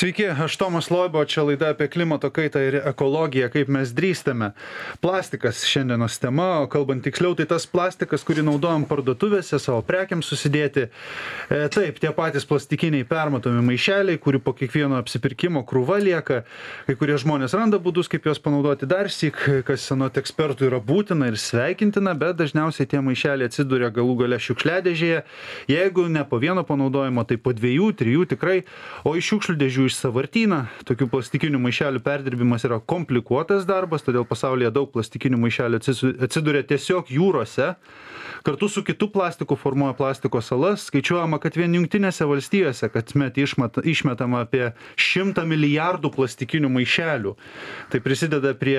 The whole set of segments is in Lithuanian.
Sveiki, aš Tomas Loibo, čia laida apie klimato kaitą ir ekologiją, kaip mes drįstame. Plastikas šiandienos tema, o kalbant tiksliau, tai tas plastikas, kurį naudojam parduotuvėse, savo prekiams susidėti. Taip, tie patys plastikiniai permatomi maišeliai, kurių po kiekvieno apsipirkimo krūva lieka. Kai kurie žmonės randa būdus, kaip juos panaudoti dar syk, kas anot ekspertų yra būtina ir sveikintina, bet dažniausiai tie maišeliai atsiduria galų gale šiukšliadėžėje. Jeigu ne po vieno panaudojimo, tai po 2-3 tikrai, o iš šiukšlių dėžių iš sąvartyną. Tokių plastikinių maišelių perdirbimas yra komplikuotas darbas, todėl pasaulyje daug plastikinių maišelių atsiduria tiesiog jūrose. Kartu su kitu plastiku formuoja plastiko salas. Skaičiuojama, kad vien Jungtinėse valstijose kasmet išmetama apie 100 milijardų plastikinių maišelių. Tai prisideda prie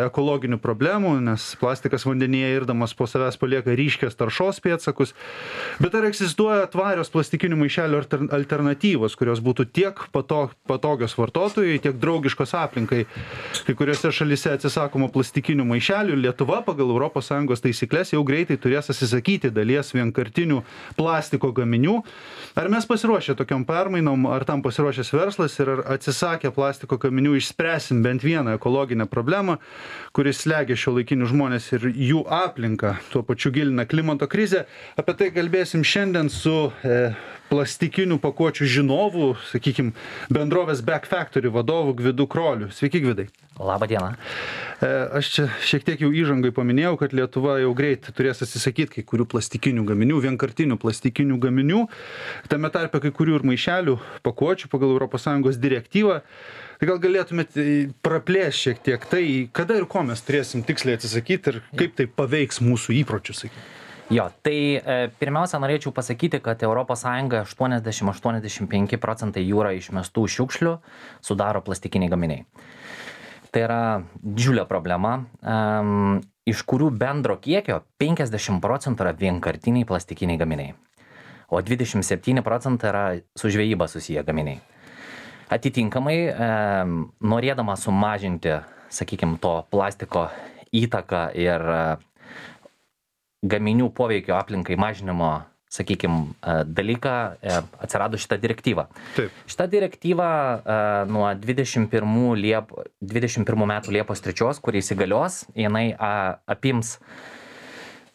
ekologinių problemų, nes plastikas vandenyje irdamas po savęs palieka ryškias taršos pėdsakus. Bet ar egzistuoja tvarios plastikinių maišelių alternatyvos, kurios būtų tiek patogios vartotojui, tiek draugiškos aplinkai? Kai kuriuose šalyse atsisakoma plastikinių maišelių. Lietuva pagal ES taisyklės jau greitai turės atsisakyti dalies vienkartinių plastiko gaminių. Ar mes pasiruošę tokiom permainom, ar tam pasiruošęs verslas ir ar atsisakę plastiko gaminių išspręsim bent vieną ekologinę problemą, kuris slegia šiuolaikinius žmonės ir jų aplinką, tuo pačiu gilina klimato krizę? Apie tai kalbėsim šiandien su plastikinių pakuočių žinovų, sakykime, bendrovės Back Factory vadovu Gvidu Kroliu. Sveiki, Gvidai. Labą dieną. Aš čia šiek tiek jau įžangai paminėjau, kad Lietuva jau greit turės atsisakyti kai kurių plastikinių gaminių, vienkartinių plastikinių gaminių, tame tarpe kai kurių ir maišelių pakuočių pagal ES direktyvą. Tai gal galėtumėt praplėsti šiek tiek tai, kada ir ko mes turėsim tiksliai atsisakyti ir kaip tai paveiks mūsų įpročius, sakykime. Jo, tai pirmiausia norėčiau pasakyti, kad ES 80-85% jūra išmestų šiukšlių sudaro plastikiniai gaminiai. Tai yra didžiulė problema, iš kurių bendro kiekio 50% yra vienkartiniai plastikiniai gaminiai, o 27% yra su žvejyba susiję gaminiai. Atitinkamai, norėdama sumažinti, sakykime, to plastiko įtaką ir gaminių poveikio aplinkai mažinimo, sakykime, dalyką, atsirado šitą direktyvą. Taip. Šitą direktyvą nuo 21 metų Liepos 3, kuri įsigalios, jinai apims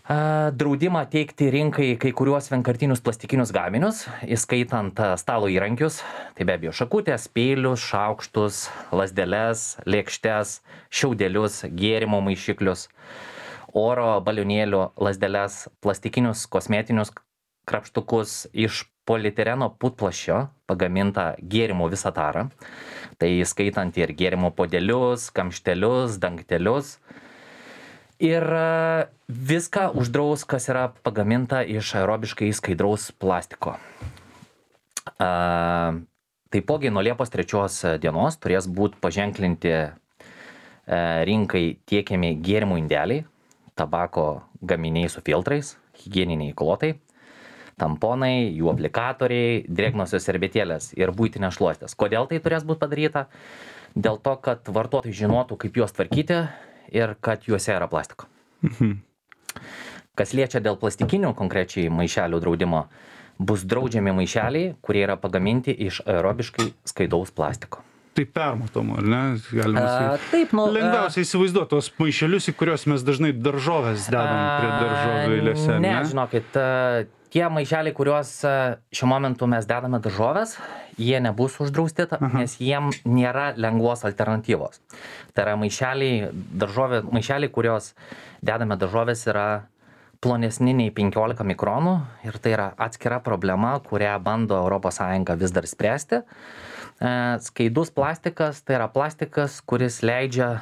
draudimą teikti rinkai kai kuriuos vienkartinius plastikinius gaminius, įskaitant stalo įrankius, tai be abejo šakutės, peilius, šaukštus, lazdeles, lėkštes, šiaudelius, gėrimo maišiklius, oro balionėlių lazdeles, plastikinius kosmetinius krapštukus iš polietileno putplasčio pagamintą gėrimo visą tarą, tai įskaitant ir gėrimo puodelius, kamštelius, dangtelius. Ir viską uždraus, kas yra pagaminta iš aerobiškai skaidraus plastiko. Taipogi nuo Liepos 3 dienos turės būti paženklinti rinkai tiekiami gėrimų indeliai, tabako gaminiai su filtrais, higieniniai klotai, tamponai, jų aplikatoriai, drėgnosios servetėlės ir buitinės šluostės. Kodėl tai turės būti padaryta? Dėl to, kad vartotojai žinotų, kaip juos tvarkyti ir kad juose yra plastiko. Kas liečia dėl plastikinių konkrečiai maišelių draudimo, bus draudžiami maišeliai, kurie yra pagaminti iš aerobiškai skaidaus plastiko. Tai permatomo, ar ne? Galima taip, lengviausiai įsivaizduoti tos maišelius, į kuriuos mes dažnai daržovės dedam prie daržovių eilėse, ne? Ne, žinokit, tie maišeliai, kuriuos šiuo momentu mes dedame daržovės, jie nebus uždrausti, nes jiem nėra lengvos alternatyvos. Tai yra maišeliai, kurios dedame daržovės, yra plonesni nei 15 mikronų ir tai yra atskira problema, kurią bando ES vis dar spręsti. Skaidus plastikas, tai yra plastikas, kuris leidžia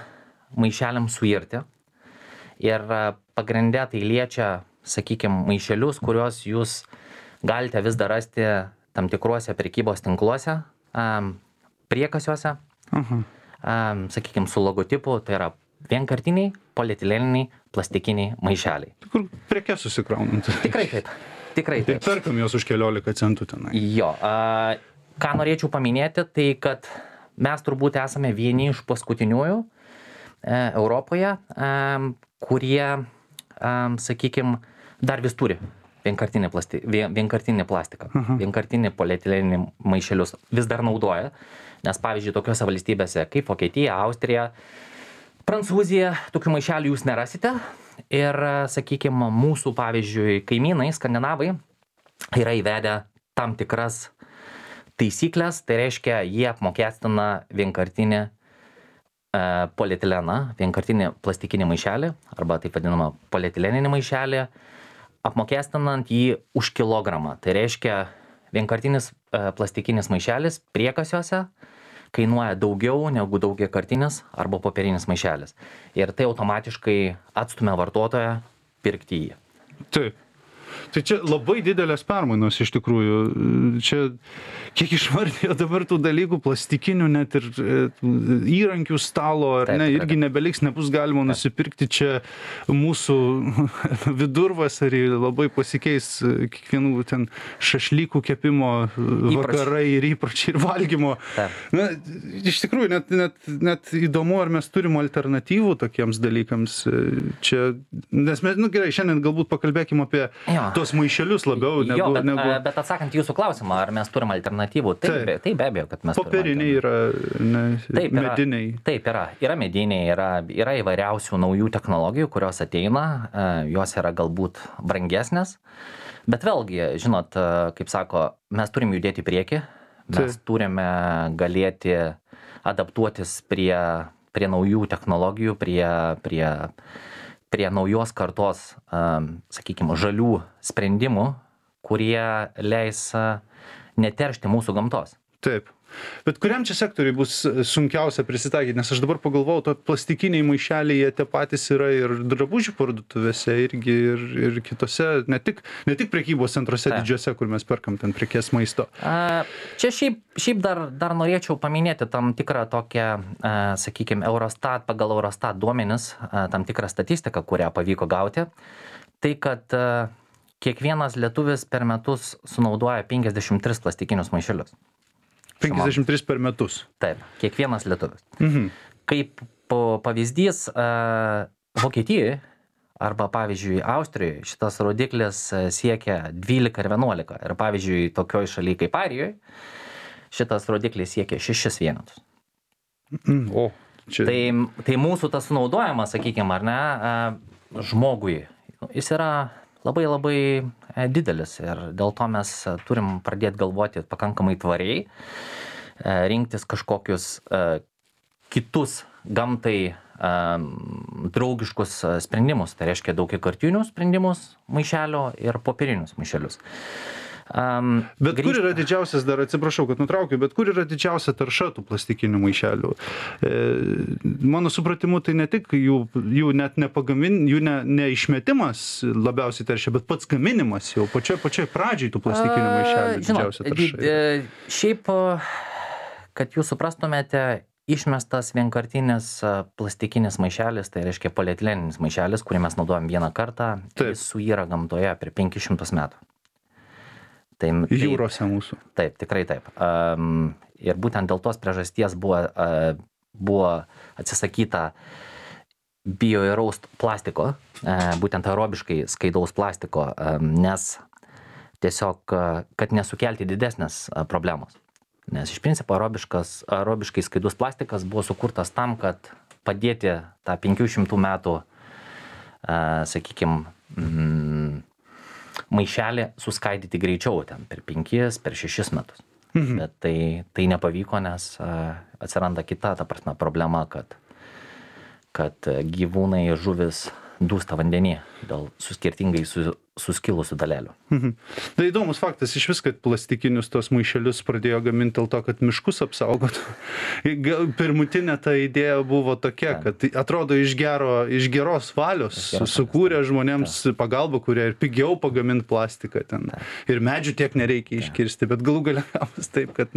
maišeliams suirti. Ir pagrinde tai liečia, sakykime, maišelius, kuriuos jūs galite vis dar rasti tam tikruose prekybos tinkluose, priekasiuose, sakykime, su logotipu, tai yra vienkartiniai, polietileniniai, plastikiniai maišeliai. Kur prekes susikraunant. Tikrai taip. Tai perkam jos už 14 centų tenai. Jo, ką norėčiau paminėti, tai kad mes turbūt esame vieni iš paskutiniųjų Europoje, kurie, sakykime, dar vis turi vienkartinį plastiką, vienkartinį polietileninį maišelius vis dar naudoja, nes pavyzdžiui, tokiose valstybėse kaip Vokietija, Austrija, Prancūzija, tokių maišelių jūs nerasite ir, sakykime, mūsų, pavyzdžiui, kaimynai, skandinavai, yra įvedę tam tikras taisyklės, tai reiškia, jie apmokestina vienkartinį polietileną, vienkartinį plastikinį maišelį, arba taip vadinamą polietileninį maišelį, apmokestinant jį už kilogramą. Tai reiškia, vienkartinis plastikinis maišelis priekasiuose kainuoja daugiau negu daugiakartinis arba popierinis maišelis. Ir tai automatiškai atstumia vartotoją pirkti jį. Taip. Tai čia labai didelės permainos iš tikrųjų. Čia kiek išvardėjo dabar tų dalykų, plastikinių net ir įrankių stalo, ar ne, irgi nebeliks, nebus galima nusipirkti. Čia mūsų vidurvasarį labai pasikeis kiekvienų ten šašlykų kepimo vakarai ir įpročiai ir valgymo. Na, iš tikrųjų, net įdomu, ar mes turim alternatyvų tokiems dalykams. Čia, nes mes, gerai, šiandien galbūt pakalbėkim apie tuos maišelius labiau negu... Bet atsakant jūsų klausimą, ar mes turim alternatyvų, tai be abejo, kad mes turim. Popieriniai yra, mediniai. Taip, yra mediniai, yra įvairiausių naujų technologijų, kurios ateina, jos yra galbūt brangesnės, bet vėlgi, žinot, kaip sako, mes turim judėti į priekį, mes turime galėti adaptuotis prie naujų technologijų, prie naujos kartos, sakykime, žalių sprendimų, kurie leis neteršti mūsų gamtos. Taip. Bet kuriam čia sektoriui bus sunkiausia prisitaikyti? Nes aš dabar pagalvojau, to plastikiniai maišeliai, jie tie patys yra ir drabužių parduotuvėse irgi ir kitose, ne tik prekybos centruose didžiuose, kur mes perkam ten prekės maisto. Čia šiaip dar norėčiau paminėti tam tikrą tokią, sakykime, pagal Eurostat duomenis, tam tikrą statistiką, kurią pavyko gauti. Tai, kad kiekvienas lietuvis per metus sunaudoja 53 plastikinius maišelius. 53 per metus. Taip, kiekvienas lietuvis. Kaip pavyzdys, Vokietijoje arba, pavyzdžiui, Austrijoje šitas rodiklis siekia 12 ir 11. Ir, pavyzdžiui, tokioj šalyje kaip Airijoje šitas rodiklis siekia 6 vienetus. Tai mūsų tas sunaudojimas, sakykime, ar ne, žmogui, jis yra labai didelis ir dėl to mes turim pradėti galvoti pakankamai tvariai, rinktis kažkokius kitus gamtai draugiškus sprendimus, tai reiškia daugiakartinius sprendimus maišelio ir popierinius maišelius. Bet kur yra didžiausias, dar atsiprašau, kad nutraukiu, bet kur yra didžiausia tarša tų plastikinių maišelių? Mano supratimu, tai ne tik jų net jų neišmetimas labiausiai teršia, bet pats gaminimas jau pačioj pradžiai tų plastikinių maišelių didžiausia tarša. Šiaip, kad jūs suprastumėte, išmestas vienkartinis plastikinis maišelis, tai reiškia polietileninis maišelis, kurį mes naudojam vieną kartą, jis suyra gamtoje per 500 metų. Jūrose mūsų. Taip, tikrai taip. Ir būtent dėl tos priežasties buvo atsisakyta bioįraus plastiko, būtent aerobiškai skaidaus plastiko, nes tiesiog, kad nesukelti didesnės problemos. Nes iš principo aerobiškai skaidus plastikas buvo sukurtas tam, kad padėti tą 500 metų, sakykime, maišelį suskaidyti greičiau ten per 5, per 6 metus. Bet tai nepavyko, nes atsiranda kita, ta prasme, problema, kad gyvūnai, žuvis dūsta vandenyje dėl skirtingai suskilusių dalelių. Tai įdomus faktas iš vis, kad plastikinius tos maišelius pradėjo gaminti dėl to, kad miškus apsaugotų. Pirmutinė ta idėja buvo tokia, kad atrodo iš geros valios sukūrė žmonėms pagalbą, kurie ir pigiau pagaminti plastiką ten. Ir medžių tiek nereikia iškirsti, bet galų gale gavus taip, kad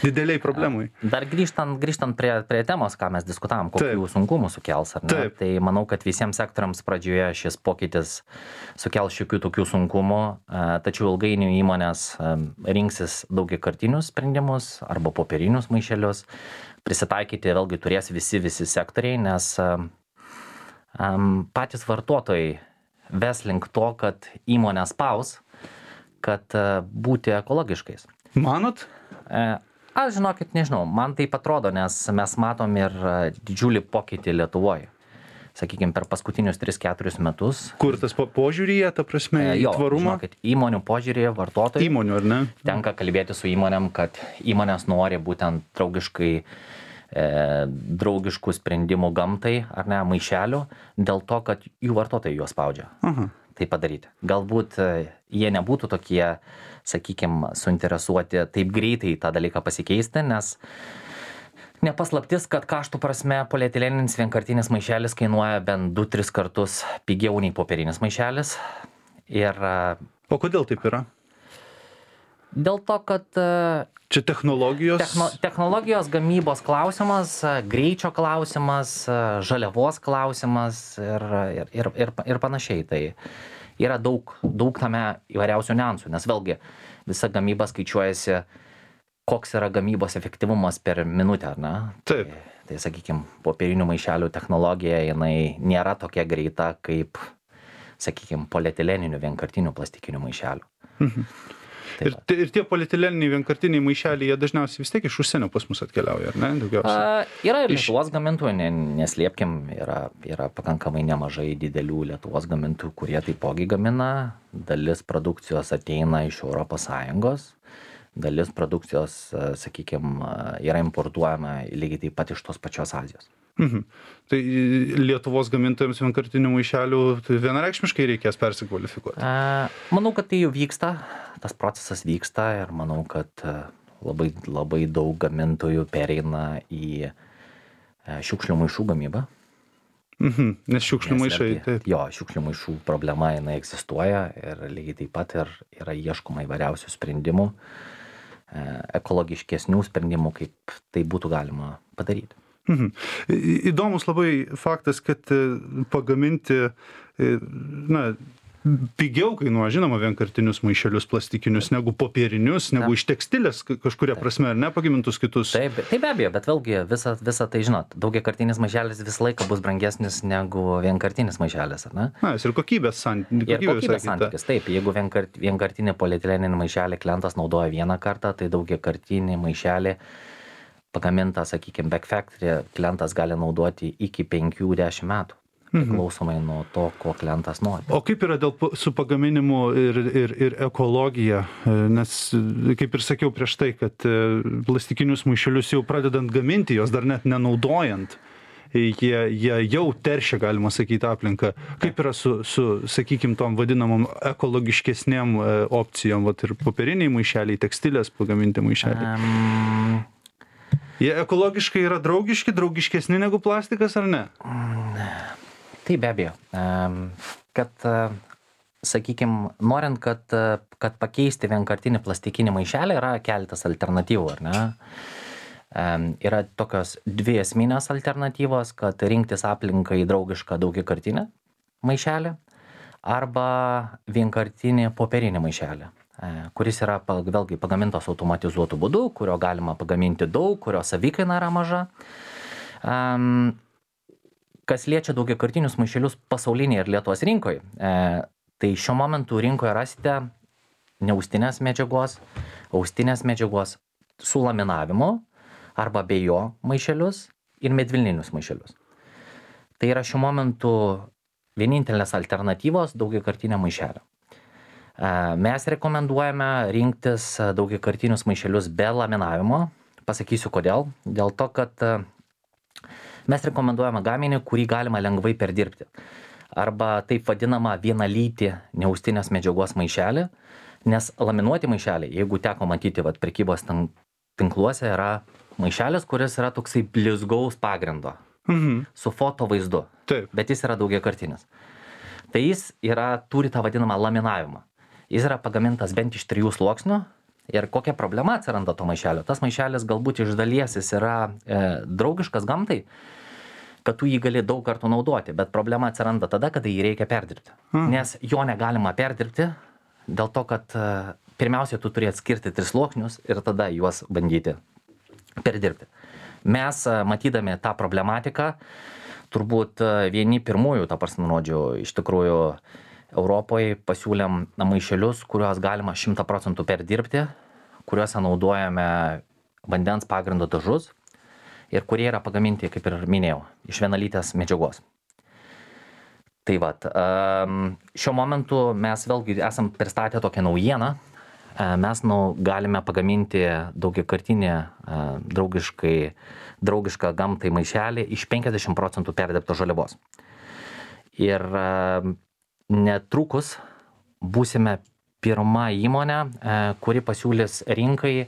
dideliai problemai. Dar grįžtant prie temos, ką mes diskutavom, kokių sunkumų sukels, ar ne? Tai manau, kad visiems sektoriams pradžioje šis pokytis sukels šiokių tokių sunkumų, tačiau ilgainiui įmonės rinksis daugiakartinius sprendimus arba popierinius maišelius. Prisitaikyti vėlgi turės visi sektoriai, nes patys vartotojai ves link to, kad įmonės spaus kad būti ekologiškais. Manot? Aš žinokit, nežinau, man taip atrodo, nes mes matom ir didžiulį pokytį Lietuvoje. Sakykime, per paskutinius 3-4 metus. Kur tas požiūryje, ta prasme, į tvarumą? Žinokit, įmonių požiūrėje, vartotojų. Įmonių, ar ne? Tenka kalbėti su įmonėm, kad įmonės nori būtent draugiškų sprendimų gamtai, ar ne, maišelių, dėl to, kad jų vartotojai juos spaudžia. Tai padaryti. Galbūt jie nebūtų tokie, sakykime, suinteresuoti taip greitai tą dalyką pasikeisti, nes nepaslaptis, kad kaštų prasme polietileninis vienkartinis maišelis kainuoja bent 2-3 kartus pigiau nei popierinis maišelis. O kodėl taip yra? Dėl to, kad čia technologijos? Technologijos gamybos klausimas, greičio klausimas, žaliavos klausimas ir panašiai. Tai yra daug tame įvairiausių niuansų, nes vėlgi visa gamyba skaičiuojasi, koks yra gamybos efektyvumas per minutę, ar ne? Taip. Tai sakykime, popierinių maišelių technologija, jinai nėra tokia greita kaip, sakykime, polietileninių vienkartinių plastikinių maišelių. Ir tie polietileniniai vienkartiniai maišeliai, jie dažniausiai vis tiek iš užsienio pas mus atkeliauja, ar ne? Daugiausiai. Yra ir Lietuvos gamintojų, neslėpkim, yra pakankamai nemažai didelių Lietuvos gamintojų, kurie taipogi gamina. Dalis produkcijos ateina iš ES, dalis produkcijos, sakykime, yra importuojama lygiai taip pat iš tos pačios Azijos. Tai Lietuvos gamintojams vienkartinių maišelių tai vienareikšmiškai reikės persikvalifikuoti? Manau, kad tai jau vyksta, tas procesas vyksta ir manau, kad labai daug gamintojų pereina į šiukšlių maišų gamybą. Nes šiukšlių maišai. Jo, šiukšlių maišų problema jinai egzistuoja ir lygiai taip pat ir yra ieškoma įvairiausių sprendimų, ekologiškesnių sprendimų, kaip tai būtų galima padaryti. Įdomus labai faktas, kad pagaminti, pigiau kainuoja, žinoma, vienkartinius maišelius plastikinius negu popierinius, negu iš tekstilės kažkuria prasme, ar ne, pagamintus kitus. Taip, be abejo, bet vėlgi visą tai, žinot, daugiakartinis maišelis visą laiką bus brangesnis negu vienkartinis maišelis, ar ne? Ir kokybės santykis. Taip, jeigu vienkartinį polietileninį maišelį klientas naudoja vieną kartą, tai daugiakartinį maišelį pagamintą, sakykime, back factory klientas gali naudoti iki 5-10 metų. Priklausomai nuo to, ko klientas nori. O kaip yra su pagaminimu ir ekologija? Nes, kaip ir sakiau prieš tai, kad plastikinius maišelius jau pradedant gaminti, jos dar net nenaudojant, jie jau teršia, galima sakyti, aplinką. Kaip yra su sakykime, tom vadinamom ekologiškesnėm opcijom, vat ir popieriniai maišeliai, tekstilės pagaminti maišeliai? Jie ekologiškai yra draugiškesni negu plastikas, ar ne? Tai be abejo. Kad, sakykime, norint, kad pakeisti vienkartinį plastikinį maišelį, yra keletas alternatyvų, ar ne? Yra tokios dvi esminės alternatyvos, kad rinktis aplinkai draugišką daugiakartinį maišelį arba vienkartinį popierinį maišelį, kuris yra vėlgi pagamintos automatizuotų būdų, kurio galima pagaminti daug, kurio savikaina yra maža. Kas liečia daugiakartinius maišelius pasaulinėje ir Lietuvos rinkoje, tai šiuo momentu rinkoje rasite neaustinės medžiagos, austinės medžiagos su laminavimu arba be jo maišelius ir medvilninius maišelius. Tai yra šiuo momentu vienintelės alternatyvos daugiakartinio maišelio. Mes rekomenduojame rinktis daugiakartinius maišelius be laminavimo. Pasakysiu kodėl. Dėl to, kad mes rekomenduojame gaminį, kurį galima lengvai perdirbti. Arba taip vadinama vienalytį neaustinės medžiagos maišelį, nes laminuoti maišeliai, jeigu teko matyti prekybos tinkluose, yra maišelis, kuris yra toksai blizgaus pagrindo su foto vaizdu. Taip. Bet jis yra daugiakartinis. Tai jis turi tą vadinamą laminavimą. Jis yra pagamintas bent iš 3 sluoksnių ir kokia problema atsiranda to maišelio. Tas maišelis galbūt iš dalies jis yra draugiškas gamtai, kad tu jį gali daug kartų naudoti, bet problema atsiranda tada, kada jį reikia perdirbti. Nes jo negalima perdirbti dėl to, kad pirmiausia, tu turi atskirti 3 sluoksnius ir tada juos bandyti perdirbti. Mes, matydami tą problematiką, turbūt vieni pirmųjų, iš tikrųjų, Europoje pasiūlėm maišelius, kuriuos galima 100% perdirbti, kuriuose naudojame vandens pagrindo dažus ir kurie yra pagaminti, kaip ir minėjau, iš vienalytės medžiagos. Tai vat, šiuo momentu mes vėlgi esam pristatę tokią naujieną. Mes galime pagaminti daugiakartinį draugišką gamtai maišelį iš 50% perdirbtos žaliavos. Ir netrukus būsime pirma įmonė, kuri pasiūlys rinkai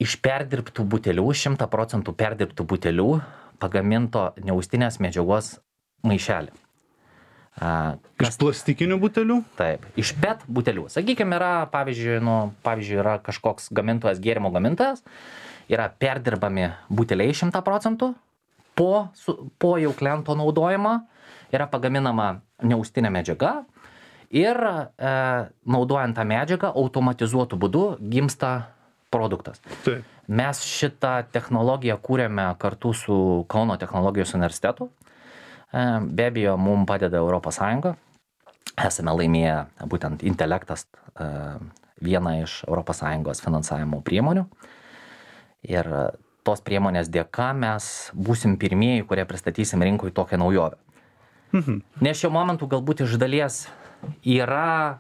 iš perdirbtų butelių, 100% perdirbtų butelių pagaminto neaustinės medžiagos maišelį. Iš plastikinių butelių? Taip, iš PET butelių. Sakykime, yra, pavyzdžiui, yra kažkoks gamintojas, gėrimo gamintojas, yra perdirbami buteliai 100%, po jau kliento naudojimo yra pagaminama neaustinė medžiaga ir naudojant tą medžiagą automatizuotų būdu gimsta produktas. Taip. Mes šitą technologiją kūrėme kartu su Kauno technologijos universitetu. Be abejo, mums padeda Europos Sąjunga. Esame laimėję būtent Intelektas, vieną iš Europos Sąjungos finansavimo priemonių. Ir tos priemonės dėka mes būsim pirmieji, kurie pristatysim rinkui tokią naujovę. Nes šiuo momentu galbūt iš dalies yra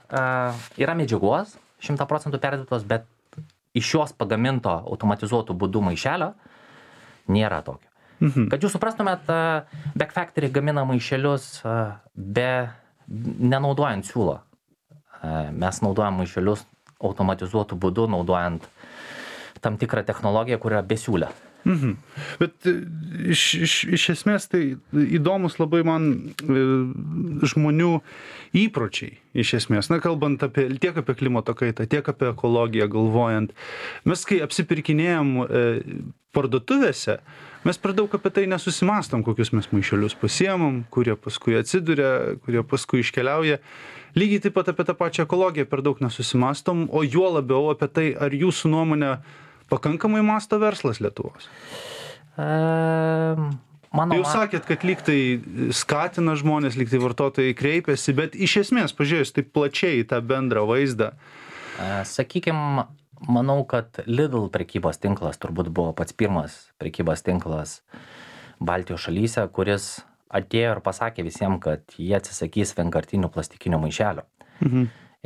medžiagos 100% perdirbtos, bet iš jos pagaminto automatizuotų būdų maišelio nėra tokio. Kad jūs suprastumėt, Back Factory gamina maišelius nenaudojant siūlo. Mes naudojam maišelius automatizuotų būdų, naudojant tam tikrą technologiją, kur yra besiūlė. Bet iš esmės tai įdomus labai man žmonių įpročiai, iš esmės, kalbant tiek apie klimato kaitą, tiek apie ekologiją galvojant. Mes kai apsipirkinėjom parduotuvėse, mes per daug apie tai nesusimastom, kokius mes maišelius pasiemam, kurie paskui atsiduria, kurie paskui iškeliauja. Lygiai taip pat apie tą pačią ekologiją per daug nesusimastom, o juo labiau apie tai, ar jūsų nuomonė pakankamai masto verslas Lietuvos? Jūs sakėt, kad lyg tai skatina žmonės, lyg tai vartotojai kreipiasi, bet iš esmės, pažiūrėjus taip plačiai tą bendrą vaizdą. Sakykime, manau, kad Lidl prekybos tinklas turbūt buvo pats pirmas prekybos tinklas Baltijos šalyse, kuris atėjo ir pasakė visiems, kad jie atsisakys vienkartinių plastikinių maišelių.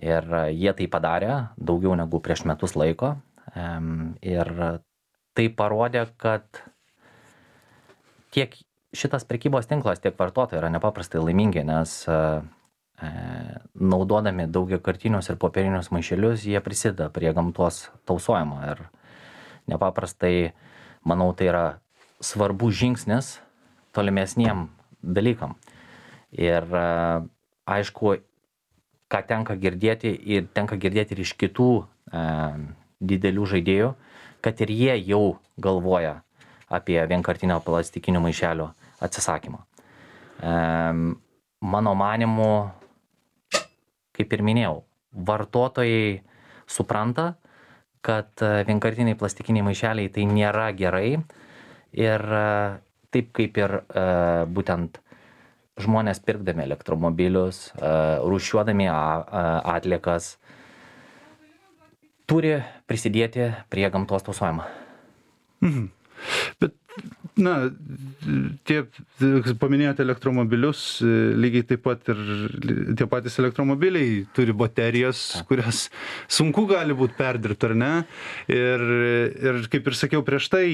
Ir jie tai padarė daugiau negu prieš metus laiko. Ir tai parodė, kad tiek šitas prekybos tinklas, tiek vartotojai yra nepaprastai laimingi, nes naudodami daugiakartinius ir popierinius maišelius, jie prisideda prie gamtos tausojimo. Ir nepaprastai, manau, tai yra svarbus žingsnis tolimesniem dalykam. Ir aišku, ką tenka girdėti ir iš kitų didelių žaidėjų, kad ir jie jau galvoja apie vienkartinio plastikinių maišelių atsisakymą. Mano manimu, kaip ir minėjau, vartotojai supranta, kad vienkartiniai plastikiniai maišeliai tai nėra gerai ir taip kaip ir būtent žmonės pirkdami elektromobilius, rūšiuodami atliekas, turi prisidėti prie gamtos tausojimo. Bet, tie paminėjote elektromobilius, lygiai taip pat ir tie patys elektromobiliai turi baterijas, kurias sunku gali būti perdirbti, ar ne? Ir kaip ir sakiau prieš tai,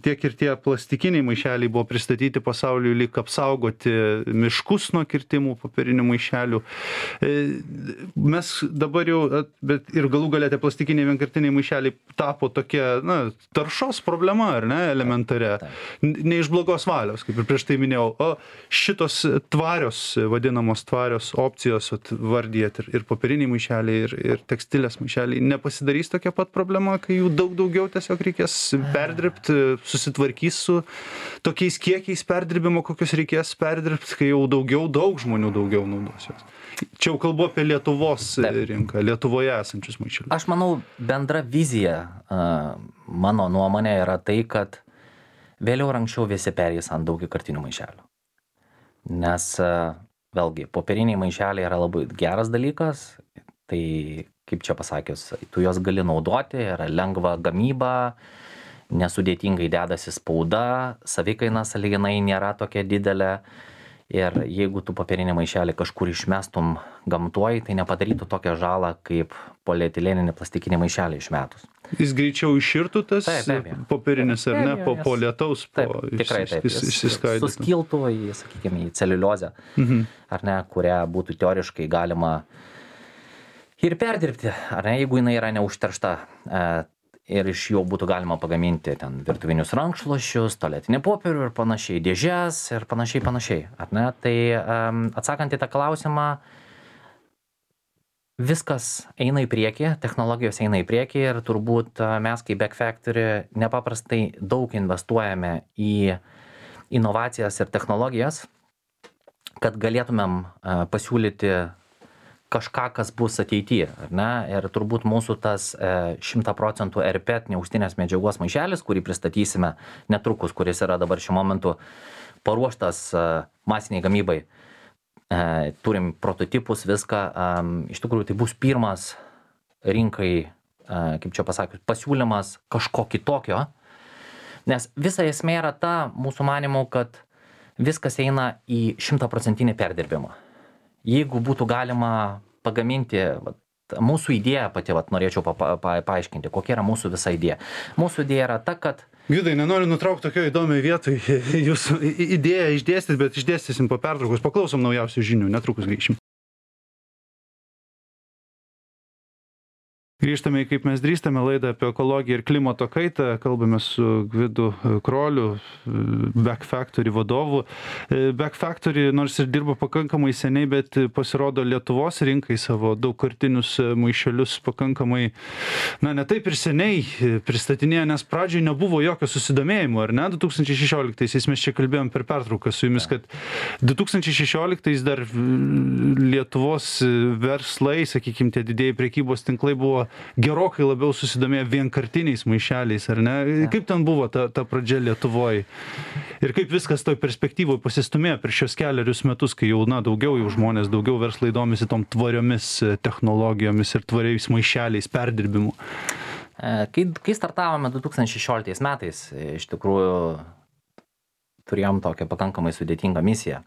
tiek ir tie plastikiniai maišeliai buvo pristatyti pasauliui lyg apsaugoti miškus nuo kirtimų popierinių maišelių. Mes dabar jau, bet ir galų gale tie plastikiniai vienkartiniai maišeliai tapo tokia, taršos problema, ar ne, elementaria. Ne iš blogos valios, kaip ir prieš tai minėjau, o šitos vadinamos tvarios opcijos, vardijat ir popieriniai maišeliai, ir tekstilės maišeliai, nepasidarys tokia pat problema, kai jų daug daugiau tiesiog reikės perdirbti, susitvarkys su tokiais kiekiais perdirbimo, kokius reikės perdirbti, kai jau daug žmonių daugiau naudos jos. Čia jau kalbu apie Lietuvos rinką, Lietuvoje esančius maišelius. Aš manau, bendra vizija, mano nuomonė yra tai, kad vėliau ar anksčiau visi perės ant daugiakartinių maišelių. Nes vėlgi, popieriniai maišeliai yra labai geras dalykas, tai kaip čia pasakius, tu juos gali naudoti, yra lengva gamyba, nesudėtingai dedasi spauda, savikaina sąlyginai nėra tokia didelė. Ir jeigu tu popierinį maišelį kažkur išmestum gamtoj, tai nepadarytų tokią žalą, kaip polietileninį plastikinį maišelį išmetus. Jis greičiau iširtų tas popierinis, ar ne, po lietaus, tikrai taip, išsiskaidytų. Suskiltų sakykime, į celiuliozę, ar ne, kurią būtų teoriškai galima ir perdirbti, ar ne, jeigu jinai yra neužteršta. Ir iš jo būtų galima pagaminti ten virtuvinius rankšluosčius, tualetinį popierių ir panašiai, dėžes ir panašiai, ar ne? Tai atsakant į tą klausimą, viskas eina į priekį, technologijos eina į priekį ir turbūt mes kaip Back Factory nepaprastai daug investuojame į inovacijas ir technologijas, kad galėtumėm pasiūlyti kažką, kas bus ateityje, ar ne? Ir turbūt mūsų tas 100% RPET neaustinės medžiagos maišelis, kurį pristatysime netrukus, kuris yra dabar šiuo momentu paruoštas masiniai gamybai. Turim prototipus, viską. Iš tikrųjų, tai bus pirmas rinkai, kaip čia pasakius, pasiūlymas kažko kitokio. Nes visa esmė yra ta, mūsų manymų, kad viskas eina į 100% perdirbimą. Jeigu būtų galima pagaminti, mūsų idėja pati, norėčiau paaiškinti, kokia yra mūsų visa idėja. Mūsų idėja yra ta, kad... Gvidai, nenoriu nutraukti tokio įdomioje vietoje. Jūsų idėją išdėstyt, bet išdėstysim po pertraukos. Paklausom naujausių žinių, netrukus grįšim. Grįžtame į Kaip mes drįstame laidą apie ekologiją ir klimato kaitą. Kalbame su Gvidu Kroliu, Back Factory vadovu. Back Factory nors ir dirba pakankamai seniai, bet pasirodo Lietuvos rinkai savo daugkartinius maišelius pakankamai, ne taip ir seniai pristatinėjo, nes pradžioj nebuvo jokio susidomėjimo, ar ne? 2016-aisiais mes čia kalbėjom per pertrauką su jumis, kad 2016-ais dar Lietuvos verslai, sakykime, tie didieji prekybos tinklai buvo gerokai labiau susidomėję vienkartiniais maišeliais, ar ne? Kaip ten buvo ta pradžia Lietuvoje? Ir kaip viskas toj perspektyvoje pasistumėjo per šios kelerius metus, kai jau, daugiau žmonės, daugiau verslai domisi tom tvariomis technologijomis ir tvariais maišeliais, perdirbimu? Kai startavome 2016 metais, iš tikrųjų turėjom tokią pakankamai sudėtingą misiją.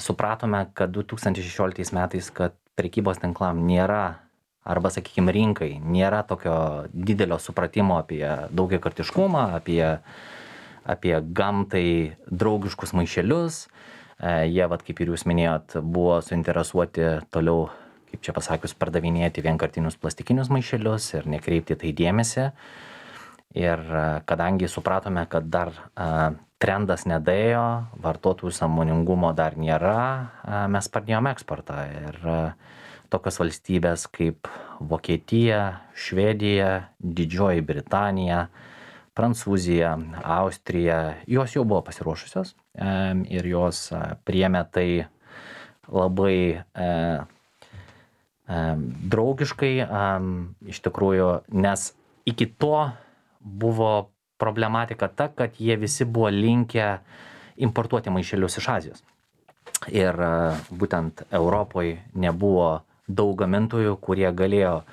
Supratome, kad 2016 metais, kad prekybos tinklam nėra, arba, sakykime, rinkai nėra tokio didelio supratimo apie daugiakartiškumą, apie gamtai draugiškus maišelius. Jie, kaip ir jūs minėjot, buvo suinteresuoti toliau, kaip čia pasakius, pardavinėti vienkartinius plastikinius maišelius ir nekreipti tai dėmesį. Ir kadangi supratome, kad dar trendas nedėjo, vartotojų sąmoningumo dar nėra, mes pradėjome eksportą. Ir tokios valstybės kaip Vokietija, Švedija, Didžioji Britanija, Prancūzija, Austrija, jos jau buvo pasiruošusios ir jos priėmė tai labai draugiškai, iš tikrųjų, nes iki to buvo problematika ta, kad jie visi buvo linkę importuoti maišelius iš Azijos. Ir būtent Europoje nebuvo daug gamintojų, kurie galėjo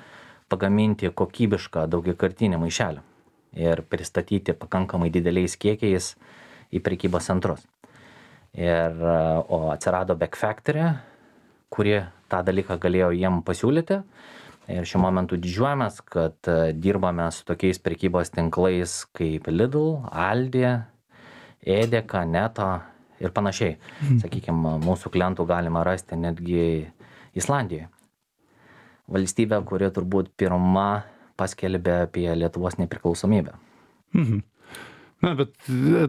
pagaminti kokybišką daugiakartinį maišelį ir pristatyti pakankamai dideliais kiekiais į prekybos centrus. O atsirado Back Factory, kuri tą dalyką galėjo jiem pasiūlyti. Ir šiuo momentu didžiuojamės, kad dirbame su tokiais prekybos tinklais kaip Lidl, Aldi, Edeka, Neto ir panašiai. Sakykime, mūsų klientų galima rasti netgi Islandijoje. Valstybė, kuri turbūt pirma paskelbė apie Lietuvos nepriklausomybę. Bet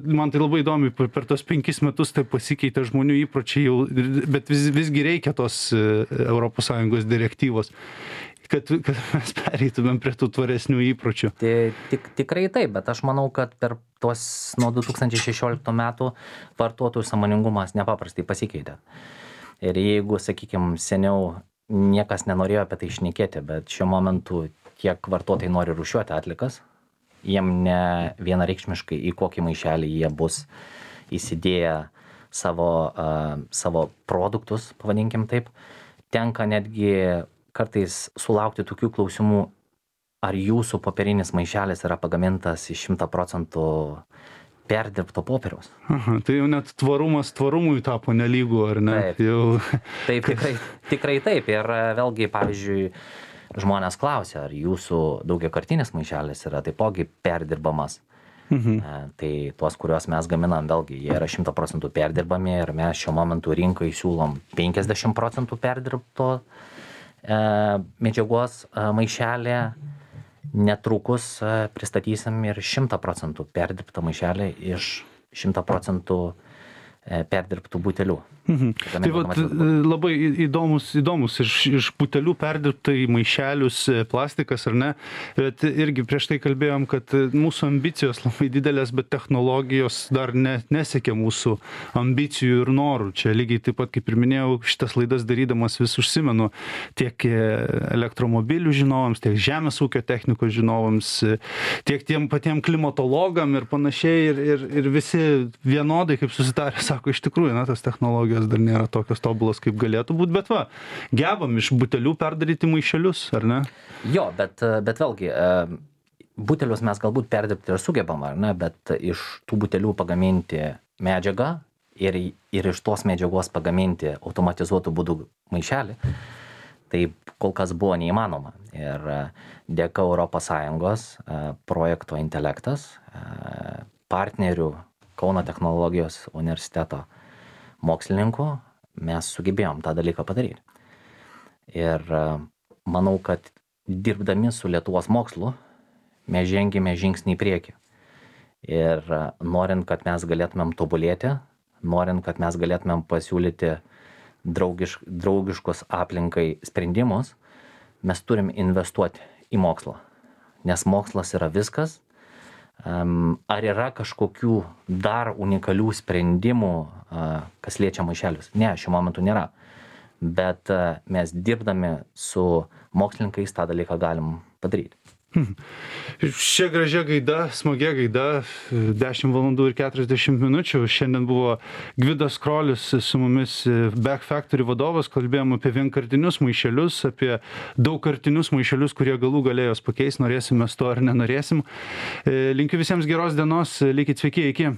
man tai labai įdomi, per tos 5 metus tai pasikeitė žmonių įpročiai, bet visgi reikia tos ES direktyvos, kad mes pereitumėm prie tų tvaresnių įpročių. Tikrai taip, bet aš manau, kad per tuos nuo 2016 metų vartotojų sąmoningumas nepaprastai pasikeitė. Ir jeigu, sakykime, seniau niekas nenorėjo apie tai šnekėti, bet šiuo momentu tiek vartotojai nori rūšiuoti atlikas, jiem ne vienareikšmiškai į kokį maišelį jie bus įsidėję savo produktus, pavadinkim taip, tenka netgi kartais sulaukti tokių klausimų, ar jūsų popierinis maišelis yra pagamintas iš 100% perdirbto popieriaus. Aha, tai jau net tvarumas tvarumui tapo nelygu, ar ne? Taip, jau... taip tikrai taip. Ir vėlgi, pavyzdžiui, žmonės klausia, ar jūsų daugiakartinis maišelis yra taipogi perdirbamas. Tai tuos, kuriuos mes gaminam, vėlgi, jie yra 100% perdirbami ir mes šiuo momentu rinkai siūlom 50% perdirbto medžiagos maišelį. Netrukus pristatysim ir 100% perdirbtą maišelį iš 100% perdirbtų butelių. Tai vat, labai įdomus iš butelių perdirbta į maišelius plastikas, ar ne? Bet irgi prieš tai kalbėjom, kad mūsų ambicijos labai didelės, bet technologijos dar nesiekia mūsų ambicijų ir norų. Čia lygiai taip pat, kaip ir minėjau, šitas laidas darydamas vis užsimenu tiek elektromobilių žinovams, tiek žemės ūkio technikos žinovams, tiek tiem patiem klimatologam ir panašiai. Ir visi vienodai, kaip susitarė, sako, iš tikrųjų, tas technologijos dar nėra tokios tobulos, kaip galėtų būti, bet gebam iš butelių perdaryti maišelius, ar ne? Jo, bet vėlgi, butelius mes galbūt perdirbti ir sugebam, ar ne, bet iš tų butelių pagaminti medžiagą ir iš tos medžiagos pagaminti automatizuotų būdų maišelį, tai kol kas buvo neįmanoma. Ir dėka ES projekto Intelektas, partnerių Kauno technologijos universiteto mokslininkų, mes sugebėjom tą dalyką padaryti. Ir manau, kad dirbdami su Lietuvos mokslu, mes žengėme žingsnį į priekį. Ir norint, kad mes galėtumėm tobulėti, norint, kad mes galėtumėm pasiūlyti draugiškus aplinkai sprendimus, mes turim investuoti į mokslą. Nes mokslas yra viskas. Ar yra kažkokių dar unikalių sprendimų, kas liečia maišelius? Ne, šiuo momentu nėra. Bet mes dirbdami su mokslininkais tą dalyką galim padaryti. Šia gražia gaida, smagia gaida, 10 valandų ir 40 minučių. Šiandien buvo Gvidas Krolis su mumis, Back Factory vadovas. Kalbėjom apie vienkartinius maišelius, apie daugkartinius maišelius, kurie galų galėjos pakeis, norėsim mes to ar nenorėsim. Linkiu visiems geros dienos, likit sveiki, iki.